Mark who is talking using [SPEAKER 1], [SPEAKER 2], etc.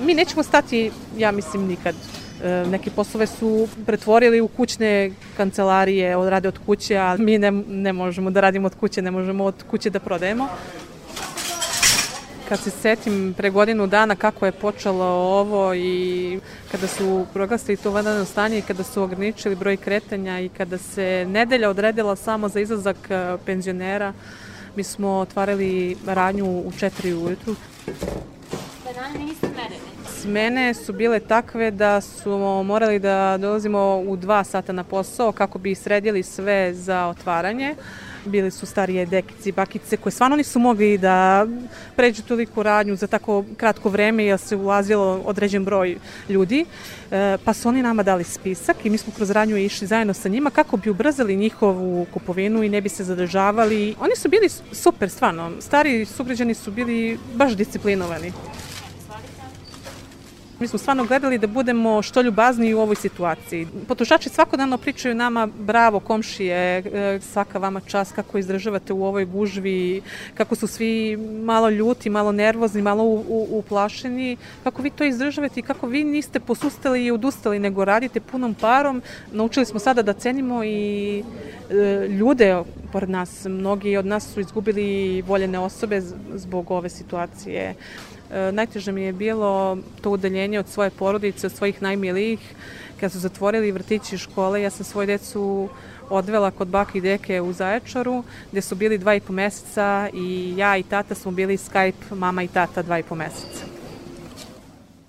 [SPEAKER 1] Mi nećemo stati, ja mislim, nikad. Neke poslove su pretvorili u kućne kancelarije, rade od kuće, a mi ne možemo da radimo od kuće, ne možemo od kuće da prodajemo. Kad se setim pre godinu dana kako je počelo ovo i kada su proglasili to vanredno stanje i kada su ograničili broj kretanja i kada se nedelja odredila samo za izlazak penzionera, mi smo otvarali radnju u 4 ujutru. Smene su bile takve da smo morali da dolazimo u 2 sata na posao kako bi sredili sve za otvaranje. Bili su starije dekice i bakice koje stvarno nisu mogli da pređu toliku radnju za tako kratko vreme jer se ulazilo određen broj ljudi. Pa su oni nama dali spisak i mi smo kroz radnju išli zajedno sa njima kako bi ubrzali njihovu kupovinu i ne bi se zadržavali. Oni su bili super, stvarno. Stari sugrađani su bili baš disciplinovani. Mi smo stvarno gledali da budemo što ljubazniji u ovoj situaciji. Potrošači svakodnevno pričaju nama, bravo komšije, svaka vama čast, kako izdržavate u ovoj gužvi, kako su svi malo ljuti, malo nervozni, malo uplašeni, kako vi to izdržavate i kako vi niste posustali i odustali, nego radite punom parom. Naučili smo sada da cenimo i ljude pored nas. Mnogi od nas su izgubili voljene osobe zbog ove situacije. Najteže mi je bilo to udaljenje od svoje porodice, od svojih najmilijih. Kad su zatvorili vrtići i škole, ja sam svoju decu odvela kod bake i deke u Zaječaru, gde su bili 2,5 meseca i ja i tata smo bili Skype mama i tata 2,5 meseca.